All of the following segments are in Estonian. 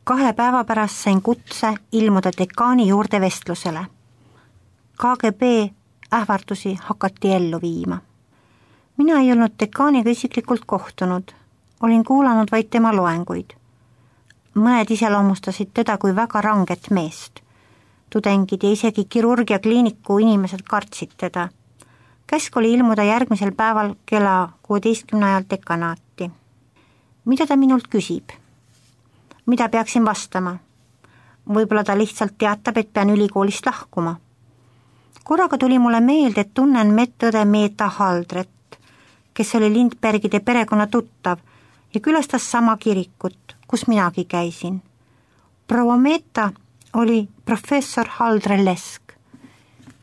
2 päeva pärast sain kutse ilmuda dekaani juurde vestlusele. KGB ähvardusi hakati ellu viima. Mina ei olnud dekaaniga isiklikult kohtunud, olin kuulanud vaid tema loenguid. Mõned iseloomustasid teda kui väga ranget meest. Tudengid ja isegi kirurgiakliiniku inimesed kartsid teda. Käsk oli ilmuda järgmisel päeval kella 16 ajal dekanaati. Mida ta minult küsib? Mida peaksin vastama? Võib-olla ta lihtsalt teatab, et pean ülikoolist lahkuma. Korraga tuli mulle meelde, et tunnen medõde Meeta Haldret, kes oli Lindbergide perekonna tuttav ja külastas sama kirikut, kus minagi käisin. Proua Meeta oli professor Haldre-Lesk.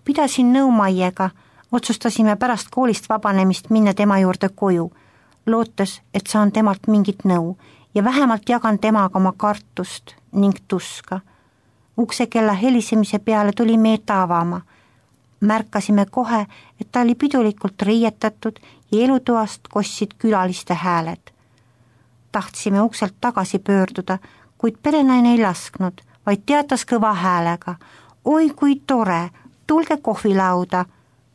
Pidasin nõu Maiega, otsustasime pärast koolist vabanemist minna tema juurde koju, lootes, et saan temalt mingit nõu ja vähemalt jagan temaga oma kartust ning tuska. Uksekella helisemise peale tuli Meeta avama. Märkasime kohe, et ta oli pidulikult riietatud ja elutoast kostsid külaliste hääled. Tahtsime ukselt tagasi pöörduda, kuid perenaine ei lasknud, vaid teatas kõva häälega. Oi kui tore, tulge kohvilauda.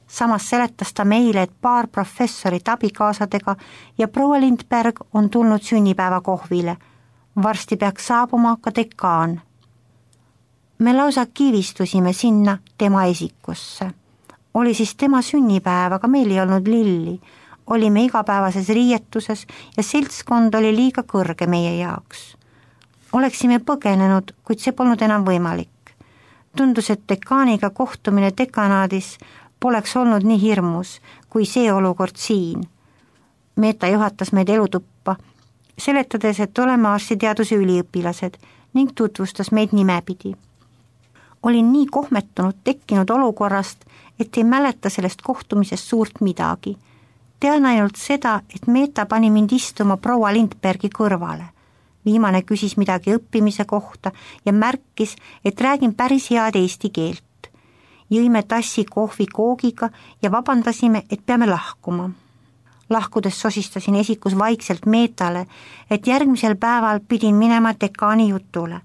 Samas seletas ta meile, et paar professorit abikaasadega ja proua Lindberg on tulnud sünnipäeva kohvile. Varsti peaks saabuma ka dekaan. Me lausa kivistusime sinna tema esikusse. Oli siis tema sünnipäev, aga meil ei olnud lilli. Olime igapäevases riietuses ja seltskond oli liiga kõrge meie jaoks. Oleksime põgenenud, kuid see polnud enam võimalik. Tundus, et dekaaniga kohtumine dekanaadis poleks olnud nii hirmus kui see olukord siin. Meeta juhatas meid elutuppa, seletades, et oleme arstiteaduse üliõpilased ning tutvustas meid nimepidi. Olin nii kohmetunud tekkinud olukorrast, et ei mäleta sellest kohtumisest suurt midagi. Tean ainult seda, et Meeta pani mind istuma proua Lindbergi kõrvale. Viimane küsis midagi õppimise kohta ja märkis, et räägin päris head eesti keelt. Jõime tassi kohvi koogiga ja vabandasime, et peame lahkuma. Lahkudes sosistasin esikus vaikselt Meetale, et järgmisel päeval pidin minema dekaani jutule.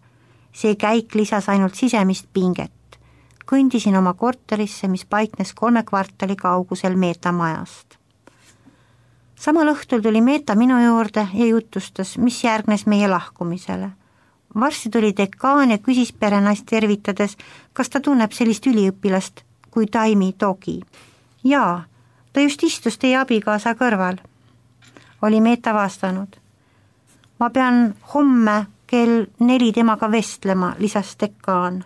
See käik lisas ainult sisemist pinget. Kõndisin oma korterisse, mis paiknes 3 kvartali kaugusel Meeta majast. Samal õhtul tuli Meeta minu juurde ja jutustas, mis järgnes meie lahkumisele. Varsti tuli dekaan ja küsis perenaist tervitades, kas ta tunneb sellist üliõpilast kui Taimi Togi. Jaa, ta just istus teie abikaasa kõrval. Oli Meeta vastanud. Ma pean homme kell 4 temaga vestlema, lisas dekaan.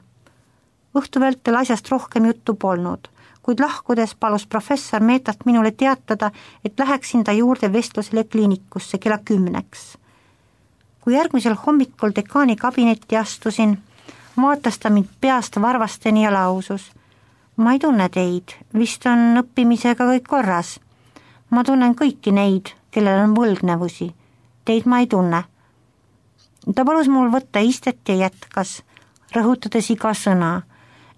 Õhtu vältel asjast rohkem juttu polnud, kuid lahkudes palus professor Meetat minule teatada, et läheksin ta juurde vestlusele kliinikusse kella 10. Kui järgmisel hommikul dekaani kabinetti astusin, vaatas ta mind peast varvasteni ja lausus. Ma ei tunne teid, vist on õppimisega kõik korras. Ma tunnen kõiki neid, kellel on võlgnevusi. Teid ma ei tunne. Ta palus mul võtta istet ja jätkas, rõhutades iga sõna.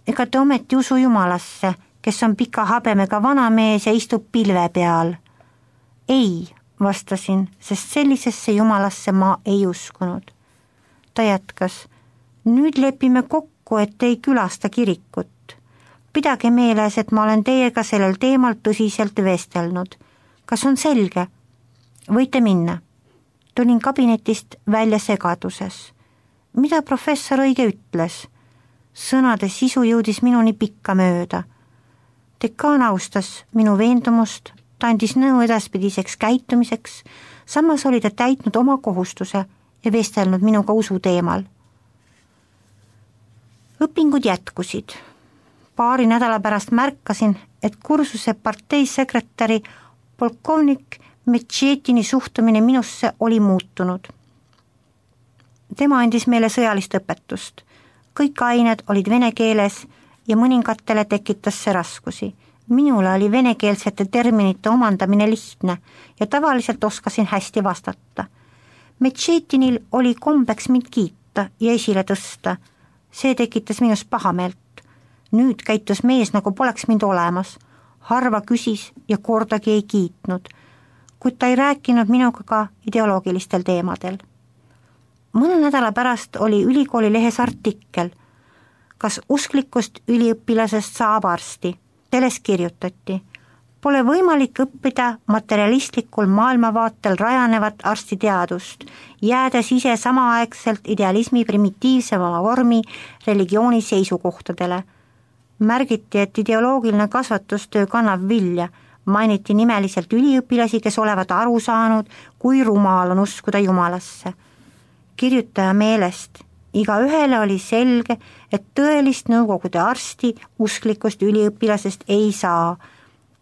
Ega te ometi usu Jumalasse, kes on pika habemega vanamees ja istub pilve peal. Ei, vastasin, sest sellisesse Jumalasse ma ei uskunud. Ta jätkas, nüüd lepime kokku, et ei külasta kirikut. Pidage meeles, et ma olen teiega sellel teemal tõsiselt vestelnud. Kas on selge? Võite minna. Tulin kabinetist välja segaduses. Mida professor õige ütles? Sõnade sisu jõudis minuni pikka mööda. Dekaan austas minu veendumust, ta andis nõu edaspidiseks käitumiseks, samas oli ta täitnud oma kohustuse ja vestelnud minuga usu teemal. Õpingud jätkusid. Paari nädala pärast märkasin, et kursuse parteisekretäri polkovnik Metšetini suhtumine minusse oli muutunud. Tema andis meile sõjalist õpetust. Kõik ained olid vene keeles ja mõningatele tekitas see raskusi. Minule oli venekeelsete terminite omandamine lihtne ja tavaliselt oskasin hästi vastata. Metšetinil oli kombeks mind kiita ja esile tõsta. See tekitas minus pahameelt. Nüüd käitus mees, nagu poleks mind olemas. Harva küsis ja kordagi ei kiitnud, kuid ta ei rääkinud minuga ka ideoloogilistel teemadel. Mõne nädala pärast oli ülikooli lehes artikkel, kas usklikust üliõpilasest saab arsti. Selles kirjutati, pole võimalik õppida materialistlikul maailmavaatel rajanevat arstiteadust, jäädes ise samaaegselt idealismi primitiivsema vormi religiooni seisukohtadele. Märgiti, et ideoloogiline kasvatustöö kannab vilja, mainiti nimeliselt üliõpilasi, kes olevat aru saanud, kui rumal on uskuda Jumalasse. Kirjutaja meelest, igaühele oli selge, et tõelist nõukogude arsti usklikust üliõpilasest ei saa,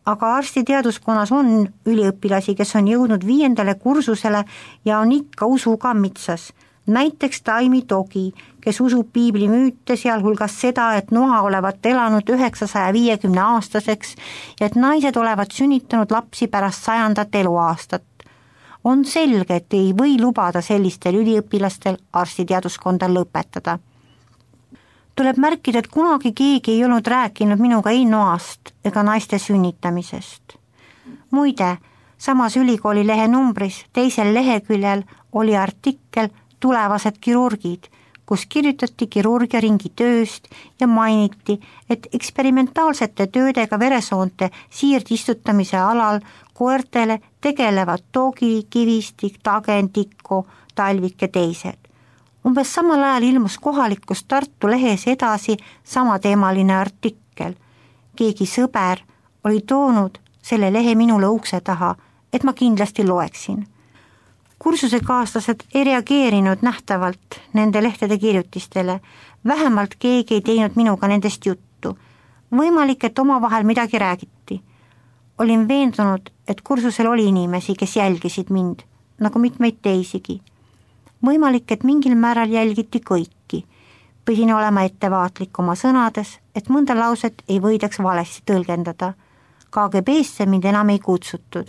aga arstiteaduskonnas on üliõpilasi, kes on jõudnud 5. kursusele ja on ikka usuga mitsas. Näiteks Taimi Togi, kes usub piibli müüte, sealhulgas seda, et noa olevat elanud 950-aastaseks ja et naised olevat sünnitanud lapsi pärast 100. eluaastat. On selge, et ei või lubada sellistel üliõpilastel arstiteaduskonda lõpetada. Tuleb märkida, et kunagi keegi ei olnud rääkinud minuga ei noast ega naiste sünnitamisest. Muide, samas ülikooli lehe numbris teisel leheküljel oli artikkel Tulevased kirurgid, kus kirjutati kirurgiaringi tööst ja mainiti, et eksperimentaalsete töödega veresoonte siirdistutamise alal koertele tegelevad Togi, Kivistik, Tagen, Tikko, Talvik ja teised. Umbes samal ajal ilmus kohalikus Tartu lehes edasi samateemaline artikkel. Keegi sõber oli toonud selle lehe minule ukse taha, et ma kindlasti loeksin. Kursusekaaslased ei reageerinud nähtavalt nende lehtede kirjutistele, vähemalt keegi ei teinud minuga nendest juttu. Võimalik, et omavahel midagi räägiti. Olin veendunud, et kursusel oli inimesi, kes jälgisid mind, nagu mitmeid teisigi. Võimalik, et mingil määral jälgiti kõiki. Pidin olema ettevaatlik oma sõnades, et mõnda lauset ei võidaks valesti tõlgendada. KGB-sse mind enam ei kutsutud.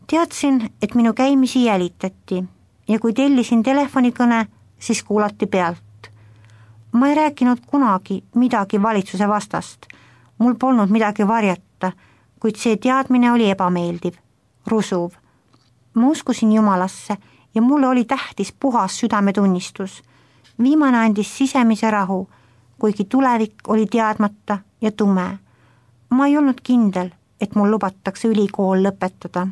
Teadsin, et minu käimisi jälitati ja kui tellisin telefonikõne, siis kuulati pealt. Ma ei rääkinud kunagi midagi valitsuse vastast. Mul polnud midagi varjata, kuid see teadmine oli ebameeldiv, rusuv. Ma uskusin Jumalasse ja mulle oli tähtis puhas südametunnistus. Viimane andis sisemise rahu, kuigi tulevik oli teadmata ja tume. Ma ei olnud kindel, et mul lubatakse ülikool lõpetada.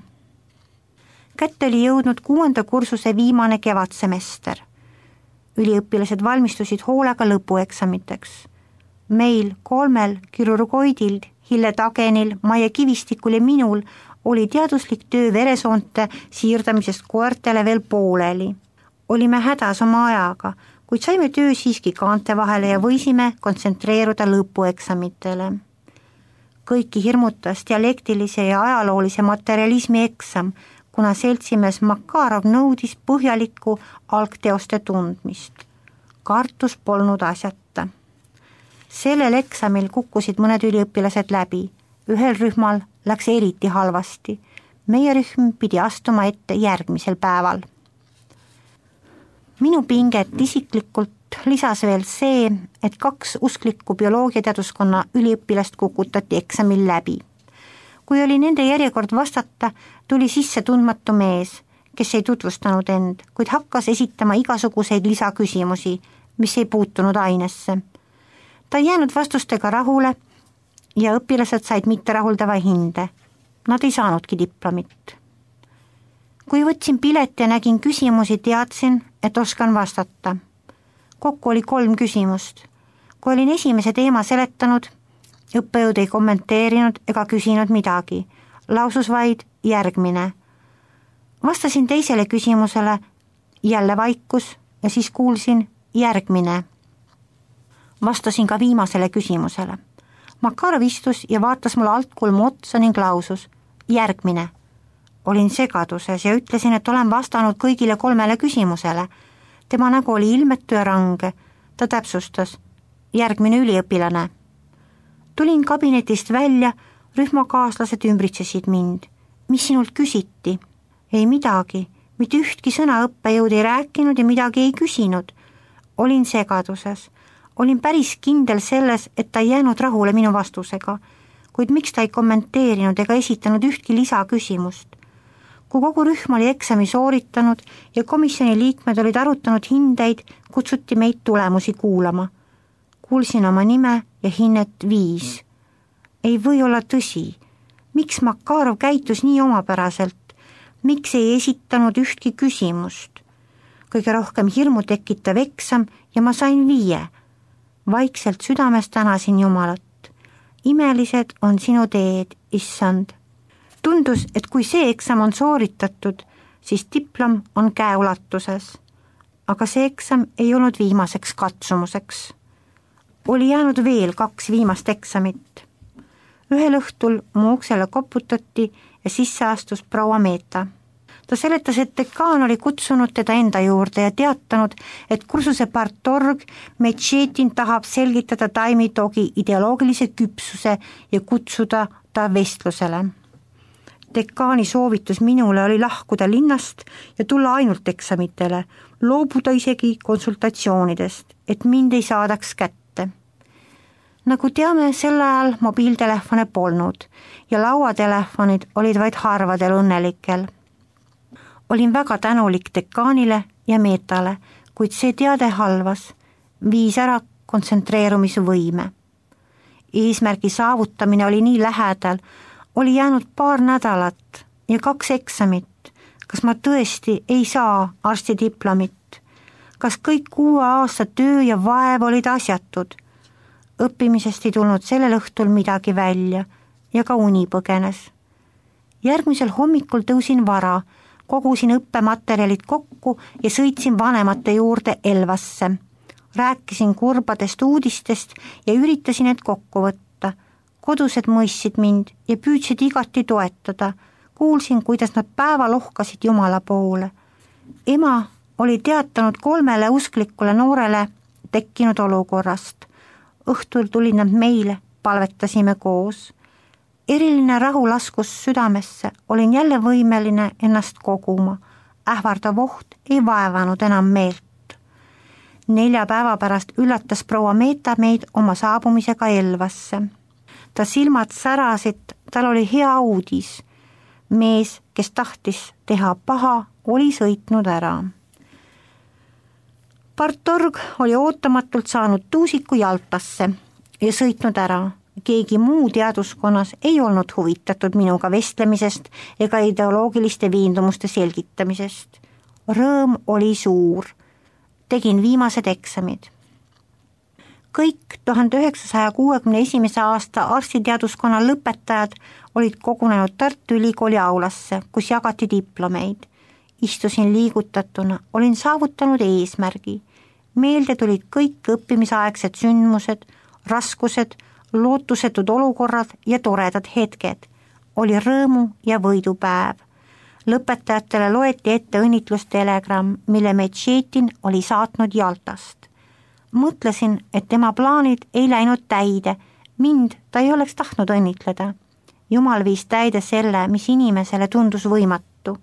Kätte oli jõudnud 6. kursuse viimane kevadsemester. Üliõpilased valmistusid hoolega lõpueksamiteks. Meil 3 kirurgoidil, Hille Tagenil, Maie Kivistikul ja minul oli teaduslik töö veresoonte siirdamisest koertele veel pooleli. Olime hädas oma ajaga, kuid saime töö siiski kaante vahele ja võisime kontsentreeruda lõpueksamitele. Kõiki hirmutas dialektilise ja ajaloolise materialismi eksam, kuna seltsimees Makarov nõudis põhjalikku algteoste tundmist. Kartus polnud asjata. Sellel eksamil kukkusid mõned üliõpilased läbi. Ühel rühmal läks eriti halvasti. Meie rühm pidi astuma ette järgmisel päeval. Minu pinget isiklikult lisas veel see, et 2 usklikku bioloogiateaduskonna üliõpilast kukutati eksamil läbi. Kui oli nende järjekord vastata, tuli sisse tundmatu mees, kes ei tutvustanud end, kuid hakkas esitama igasuguseid lisaküsimusi, mis ei puutunud ainesse. Ta ei jäänud vastustega rahule ja õpilased said mitterahuldava hinde. Nad ei saanudki diplomit. Kui võtsin pileti ja nägin küsimusi, teadsin, et oskan vastata. Kokku oli 3 küsimust. Kui olin esimese teema seletanud, õppejõud ei kommenteerinud ega küsinud midagi, lausus vaid järgmine. Vastasin teisele küsimusele, jälle vaikus ja siis kuulsin järgmine. Vastasin ka viimasele küsimusele. Makarov istus ja vaatas mulle altkulmu otsa ning lausus järgmine. Olin segaduses ja ütlesin, et olen vastanud kõigile 3 küsimusele. Tema nägu oli ilmetu ja range. Ta täpsustas järgmine üliõpilane. Tulin kabinetist välja, rühmakaaslased ümbritsesid mind. Mis sinult küsiti? Ei midagi, mitte ühtki sõna õppejõud ei rääkinud ja midagi ei küsinud. Olin segaduses. Olin päris kindel selles, et ta ei jäänud rahule minu vastusega, kuid miks ta ei kommenteerinud ega esitanud ühtki lisaküsimust. Kui kogu rühm oli eksami sooritanud ja komisjoni liikmed olid arutanud hindeid, kutsuti meid tulemusi kuulama. Kuulsin oma nime ja hinnet 5. Ei või olla tõsi. Miks Makarov käitus nii omapäraselt? Miks ei esitanud ühtki küsimust? Kõige rohkem hirmu tekitav eksam ja ma sain 5. Vaikselt südames tänasin Jumalat. Imelised on sinu teed, issand. Tundus, et kui see eksam on sooritatud, siis diplom on käeulatuses. Aga see eksam ei olnud viimaseks katsumuseks. Oli jäänud veel 2 viimast eksamit. Ühel õhtul mu uksele koputati ja sisse astus proua Meeta. Ta seletas, et dekaan oli kutsunud teda enda juurde ja teatanud, et kursuse partorg Metšetin tahab selgitada taimitogi ideoloogilise küpsuse ja kutsuda ta vestlusele. Dekaani soovitus minule oli lahkuda linnast ja tulla ainult eksamitele, loobuda isegi konsultatsioonidest, et mind ei saadaks kätte. Nagu teame, sel ajal mobiiltelefone polnud ja lauatelefonid olid vaid harvadel õnnelikel. Olin väga tänulik dekaanile ja Meetale, kuid see teade halvas, viis ära kontsentreerumisvõime. Eesmärgi saavutamine oli nii lähedal, oli jäänud 2 nädalat ja 2 eksamit. Kas ma tõesti ei saa arstidiplomit? Kas kõik 6 aasta töö ja vaev olid asjatud? Õppimisest ei tulnud sellel õhtul midagi välja ja ka uni põgenes. Järgmisel hommikul tõusin vara, kogusin õppematerjalid kokku ja sõitsin vanemate juurde Elvasse. Rääkisin kurbadest uudistest ja üritasin need kokku võtta. Kodused mõistsid mind ja püüdsid igati toetada. Kuulsin, kuidas nad päeva lohkasid Jumala poole. Ema oli teatanud 3 usklikule noorele tekkinud olukorrast. Õhtul tulid nad meile, palvetasime koos. Eriline rahu laskus südamesse, olin jälle võimeline ennast koguma. Ähvardav oht ei vaevanud enam meelt. 4 päeva pärast üllatas proua Meeta meid oma saabumisega Elvasse. Ta silmad särasid, tal oli hea uudis. Mees, kes tahtis teha paha, oli sõitnud ära. Partorg oli ootamatult saanud tuusiku Jaltasse ja sõitnud ära. Keegi muu teaduskonnas ei olnud huvitatud minuga vestlemisest ega ideoloogiliste veendumuste selgitamisest. Rõõm oli suur. Tegin viimased eksamid. Kõik 1961. aasta arstiteaduskonna lõpetajad olid kogunenud Tartu Ülikooli aulasse, kus jagati diplomeid. Istusin liigutatuna, olin saavutanud eesmärgi. Meelde tulid kõik õppimisaegsed sündmused, raskused, lootusetud olukorrad ja toredad hetked. Oli rõõmu ja võidupäev. Lõpetajatele loeti ette õnnitlustelegramm, mille Metšetin oli saatnud Jaltast. Mõtlesin, et tema plaanid ei läinud täide, mind ta ei oleks tahtnud õnnitleda. Jumal viis täide selle, mis inimesele tundus võimatu.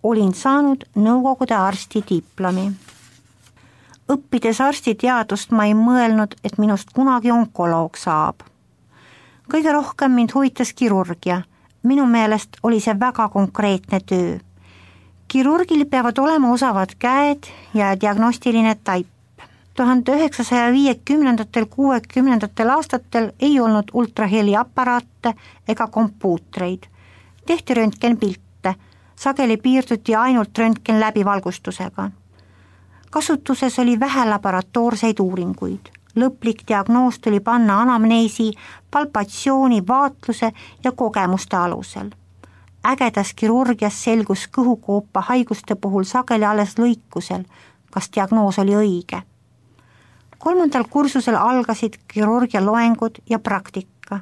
Olin saanud Nõukogude arsti diplomi. Õppides arstiteadust ma ei mõelnud, et minust kunagi onkoloog saab. Kõige rohkem mind huvitas kirurgia. Minu meelest oli see väga konkreetne töö. Kirurgil peavad olema osavad käed ja diagnostiline taip. 1950–60 aastatel ei olnud ultraheliaparaate ega kompuutreid. Tehti röntgenpilte, sageli piirduti ainult röntgen läbivalgustusega. Kasutuses oli vähe laboratoorseid uuringuid. Lõplik diagnoos tuli panna anamneesi, palpatsiooni, vaatluse ja kogemuste alusel. Ägedas kirurgias selgus kõhukoopa haiguste puhul sageli alles lõikusel, kas diagnoos oli õige. 3. kursusel algasid kirurgia loengud ja praktika.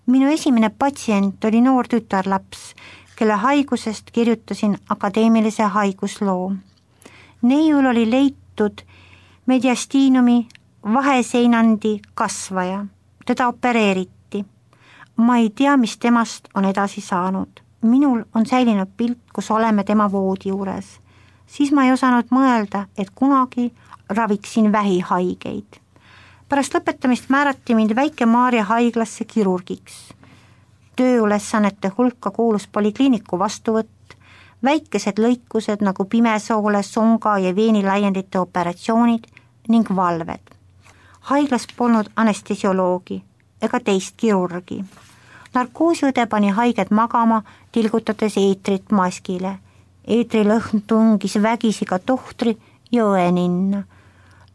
Minu esimene patsient oli noor tütarlaps, kelle haigusest kirjutasin akadeemilise haigusloo. Neiul oli leitud mediastiinumi vaheseinandi kasvaja. Teda opereeriti. Ma ei tea, mis temast on edasi saanud. Minul on säilinud pilt, kus oleme tema voodi juures. Siis ma ei osanud mõelda, et kunagi raviksin vähihaigeid. Pärast lõpetamist määrati mind Väike-Maarja haiglasse kirurgiks. Tööülesannete hulka kuulus polikliiniku vastuvõtt, väikesed lõikused nagu pimesoole, songa ja veenilaiendite operatsioonid ning valved. Haiglas polnud anestesioloogi ega teist kirurgi. Narkoosiõde pani haiged magama, tilgutades eetrit maskile. Eetrilõhn tungis vägisi ka tohtri ja õe ninna.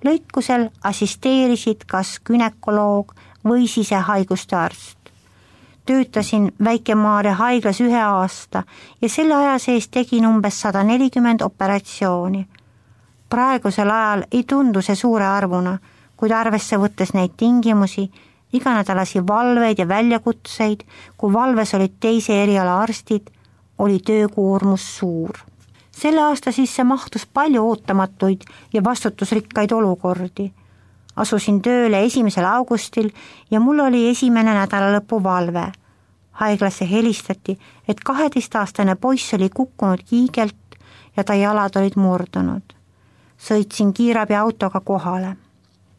Lõikusel assisteerisid kas günekoloog või sisehaiguste arst. Töötasin Väike-Maarja haiglas 1 aasta ja selle aja sees tegin umbes 140 operatsiooni. Praegusel ajal ei tundu see suure arvuna, kuid arvesse võttes neid tingimusi, iganädalasi valveid ja väljakutseid, kui valves olid teise eriala arstid, oli töökoormus suur. Selle aasta sisse mahtus palju ootamatuid ja vastutusrikkaid olukordi. Asusin tööle 1. augustil ja mul oli esimene nädalalõpu valve. Haiglasse helistati, et 12-aastane poiss oli kukkunud kiigelt ja ta jalad olid murdunud. Sõitsin kiirabiautoga kohale.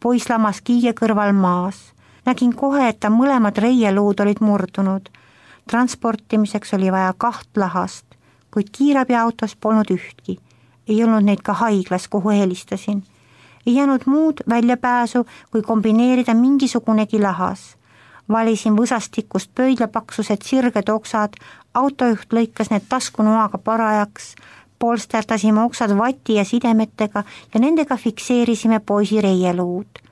Poiss lamas kiige kõrval maas. Nägin kohe, et ta mõlemad reieluud olid murdunud. Transportimiseks oli vaja 2 lahast, kuid kiirabiautos polnud ühtki. Ei olnud neid ka haiglas, kuhu helistasin. Ei jäänud muud väljapääsu, kui kombineerida mingisugunegi lahas. Valisin võsastikust pöidlapaksused sirged oksad, autojuht lõikas need taskunoaga parajaks, polsterdasime oksad vati ja sidemetega ja nendega fikseerisime poisi reieluud.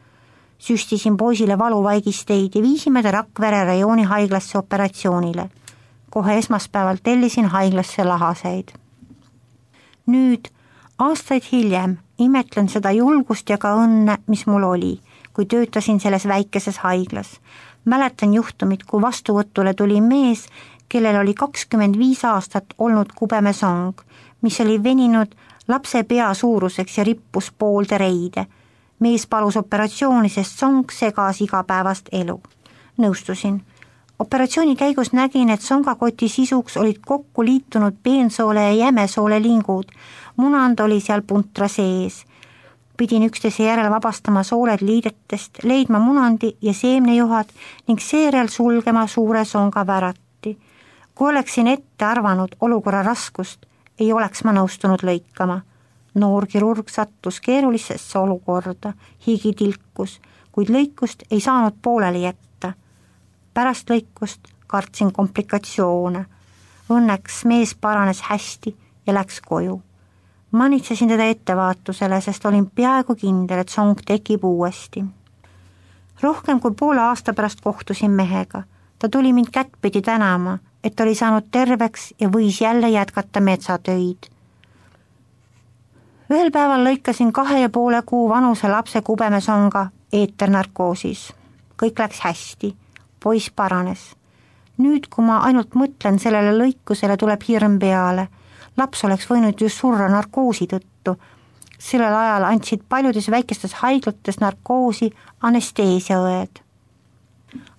Süstisin poisile valuvaigisteid ja viisime ta Rakvere rajooni haiglasse operatsioonile. Kohe esmaspäeval tellisin haiglasse lahaseid. Nüüd, aastaid hiljem, imetlen seda julgust ja ka õnne, mis mul oli, kui töötasin selles väikeses haiglas. Mäletan juhtumit, kui vastuvõtule tuli mees, kellel oli 25 aastat olnud kubemesong, mis oli veninud lapse pea suuruseks ja rippus poolde reide. Mees palus operatsiooni, sest song segas igapäevast elu. Nõustusin. Operatsiooni käigus nägin, et songakoti sisuks olid kokku liitunud peensoole ja jämesoole lingud. Munand oli seal puntra sees. Pidin üksteise järel vabastama sooled liidetest, leidma munandi ja seemnejuhad ning seejärel sulgema suure songa väratti. Kui oleksin ette arvanud olukorra raskust, ei oleks ma nõustunud lõikama. Noor kirurg sattus keerulisesse olukorda, higi tilkus, kuid lõikust ei saanud pooleli jätta. Pärast lõikust kartsin komplikatsioone. Õnneks mees paranes hästi ja läks koju. Manitsesin teda ettevaatusele, sest olin peaaegu kindel, et song tekib uuesti. Rohkem kui poole aasta pärast kohtusin mehega. Ta tuli mind kättpidi tänama, et oli saanud terveks ja võis jälle jätkata metsatöid. Ühel päeval lõikasin 2,5 kuu vanuse lapse kubemesonga eeternarkoosis. Kõik läks hästi. Poiss paranes. Nüüd, kui ma ainult mõtlen sellele lõikusele, tuleb hirm peale. Laps oleks võinud ju surra narkoosi tõttu. Sellel ajal andsid paljudes väikestes haiglates narkoosi anesteesiaõed.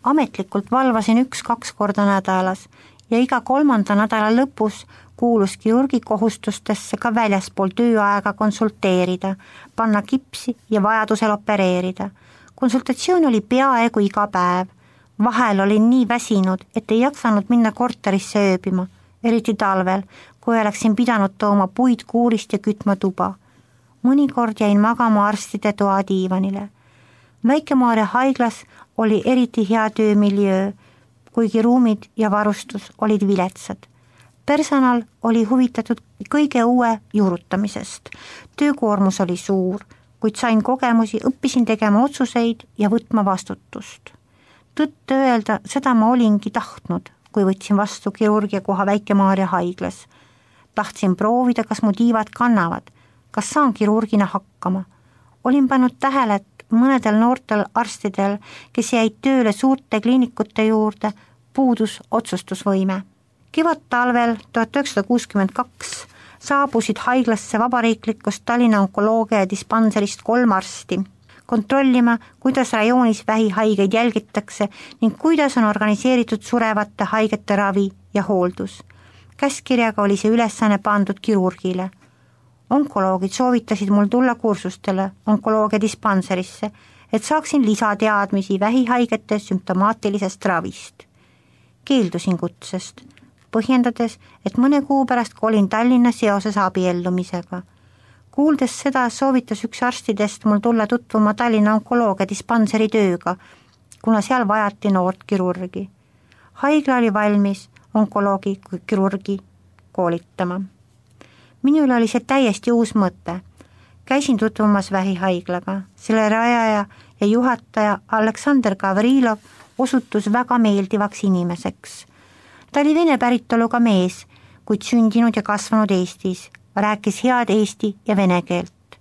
Ametlikult valvasin 1-2 korda nädalas ja iga 3. nädala lõpus kuulus kirurgi kohustustesse ka väljaspool tööaega konsulteerida, panna kipsi ja vajadusel opereerida. Konsultatsioon oli peaaegu iga päev. Vahel olin nii väsinud, et ei jaksanud minna korterisse ööbima, eriti talvel, kui oleksin pidanud tooma puid kuurist ja kütma tuba. Mõnikord jäin magama arstide toa diivanile. Väike-Maarja haiglas oli eriti hea töömiljöö, kuigi ruumid ja varustus olid viletsad. Personal oli huvitatud kõige uue juurutamisest. Töökoormus oli suur, kuid sain kogemusi, õppisin tegema otsuseid ja võtma vastutust. Tõtt öelda, seda ma olingi tahtnud, kui võtsin vastu kirurgia koha Väike-Maarja haiglas. Tahtsin proovida, kas mu tiivad kannavad, kas saan kirurgina hakkama. Olin pannud tähele, et mõnedel noortel arstidel, kes jäid tööle suurte kliinikute juurde, puudus otsustusvõime. Kevad-talvel 1962 saabusid haiglasse vabariiklikust Tallinna onkoloogia ja dispanserist 3 arsti, kontrollima, kuidas rajoonis vähihaigeid jälgitakse ning kuidas on organiseeritud surevate haigete ravi ja hooldus. Käskirjaga oli see ülesanne pandud kirurgile. Onkoloogid soovitasid mul tulla kursustele onkoloogia dispanserisse, et saaksin lisateadmisi vähihaigete sümptomaatilisest ravist. Keeldusin kutsest. põhjendades, et mõne kuu pärast kolin Tallinna seoses abiellumisega. Kuuldes seda, soovitas üks arstidest mul tulla tutvuma Tallinna onkoloogia dispanseri tööga, kuna seal vajati noort kirurgi. Haigla oli valmis onkoloogi kui kirurgi koolitama. Minul oli see täiesti uus mõte. Käisin tutvumas vähihaiglaga. Selle rajaja ja juhataja Aleksandr Gavrilov osutus väga meeldivaks inimeseks. Ta oli vene päritoluga mees, kuid sündinud ja kasvanud Eestis. Rääkis head eesti ja vene keelt.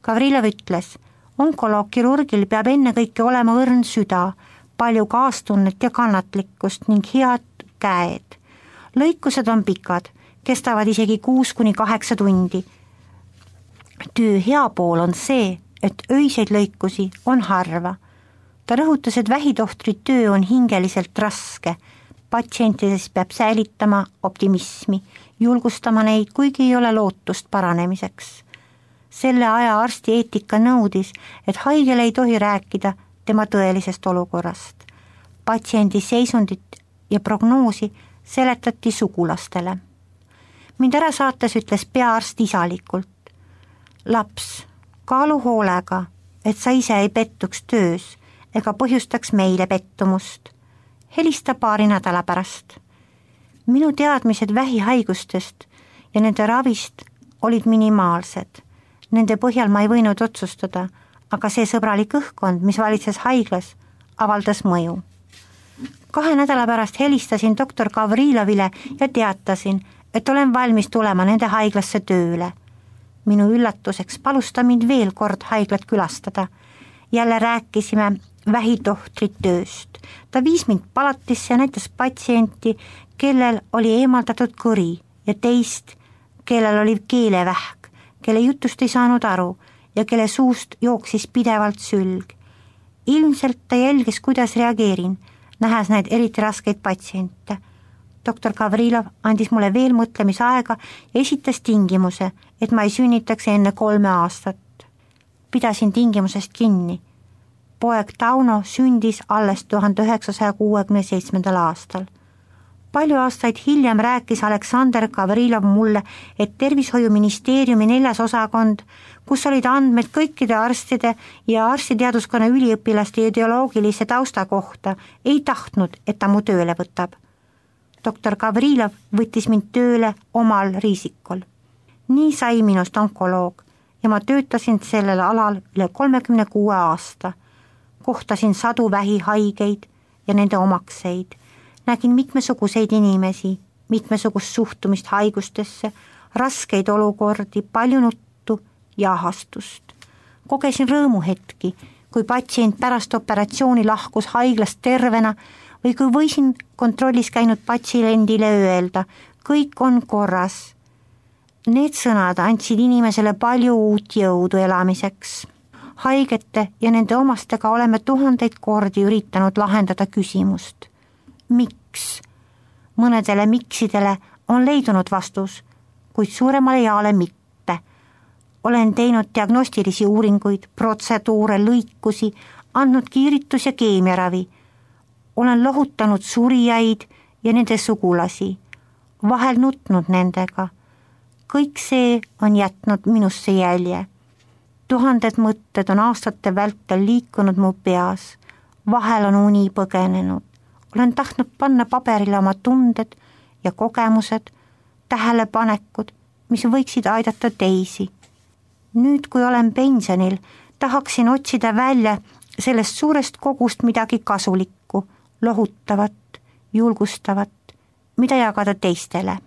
Gavrilov ütles, onkoloog-kirurgil peab enne kõike olema õrn süda, palju kaastunnet ja kannatlikkust ning head käed. Lõikused on pikad, kestavad isegi 6-8 tundi. Töö hea pool on see, et öiseid lõikusi on harva. Ta rõhutas, et vähitohtri töö on hingeliselt raske. Patsientides peab säilitama optimismi, julgustama neid, kuigi ei ole lootust paranemiseks. Selle aja arsti eetika nõudis, et haigele ei tohi rääkida tema tõelisest olukorrast. Patsiendi seisundit ja prognoosi seletati sugulastele. Mind ära saates ütles peaarst isalikult. Laps, kaalu hoolega, et sa ise ei pettuks töös ega põhjustaks meile pettumust. Helista paari nädala pärast. Minu teadmised vähihaigustest ja nende ravist olid minimaalsed. Nende põhjal ma ei võinud otsustada, aga see sõbralik õhkkond, mis valitses haiglas, avaldas mõju. 2 nädala pärast helistasin doktor Gavrilovile ja teatasin, et olen valmis tulema nende haiglasse tööle. Minu üllatuseks palus ta mind veel kord haiglat külastada. Jälle rääkisime vähitohtri tööst. Ta viis mind palatisse ja näitas patsienti, kellel oli eemaldatud kõri ja teist, kellel oli keelevähk, kelle jutust ei saanud aru ja kelle suust jooksis pidevalt sülg. Ilmselt ta jälgis, kuidas reageerin, nähes neid eriti raskeid patsiente. Doktor Gavrilov andis mulle veel mõtlemisaega ja esitas tingimuse, et ma ei sünnitaks enne 3 aastat. Pidasin tingimusest kinni. Poeg Tauno sündis alles 1967. aastal. Palju aastaid hiljem rääkis Aleksandr Gavrilov mulle, et tervishoiuministeeriumi 4. osakond, kus olid andmed kõikide arstide ja arstiteaduskonna üliõpilaste ideoloogilise tausta kohta, ei tahtnud, et ta mu tööle võtab. Doktor Gavrilov võttis mind tööle omal riisikul. Nii sai minust onkoloog ja ma töötasin sellel alal üle 36 aasta. Kohtasin sadu vähihaigeid ja nende omakseid. Nägin mitmesuguseid inimesi, mitmesugust suhtumist haigustesse, raskeid olukordi, palju nuttu ja ahastust. Kogesin rõõmuhetki, kui patsient pärast operatsiooni lahkus haiglast tervena või kui võisin kontrollis käinud patsiendile öelda, kõik on korras. Need sõnad andsid inimesele palju uut jõudu elamiseks. Haigete ja nende omastega oleme 1000 kordi üritanud lahendada küsimust. Miks? Mõnedele miksidele on leidunud vastus, kuid suuremale jaole mitte. Olen teinud diagnostilisi uuringuid, protseduure, lõikusi, andnud kiiritus- ja keemiaravi. Olen lohutanud surijaid ja nende sugulasi, vahel nutnud nendega. Kõik see on jätnud minusse jälje. 1000 mõtted on aastate vältel liikunud mu peas, vahel on uni põgenenud. Olen tahtnud panna paberile oma tunded ja kogemused, tähelepanekud, mis võiksid aidata teisi. Nüüd, kui olen pensionil, tahaksin otsida välja sellest suurest kogust midagi kasulikku, lohutavat, julgustavat, mida jagada teistele.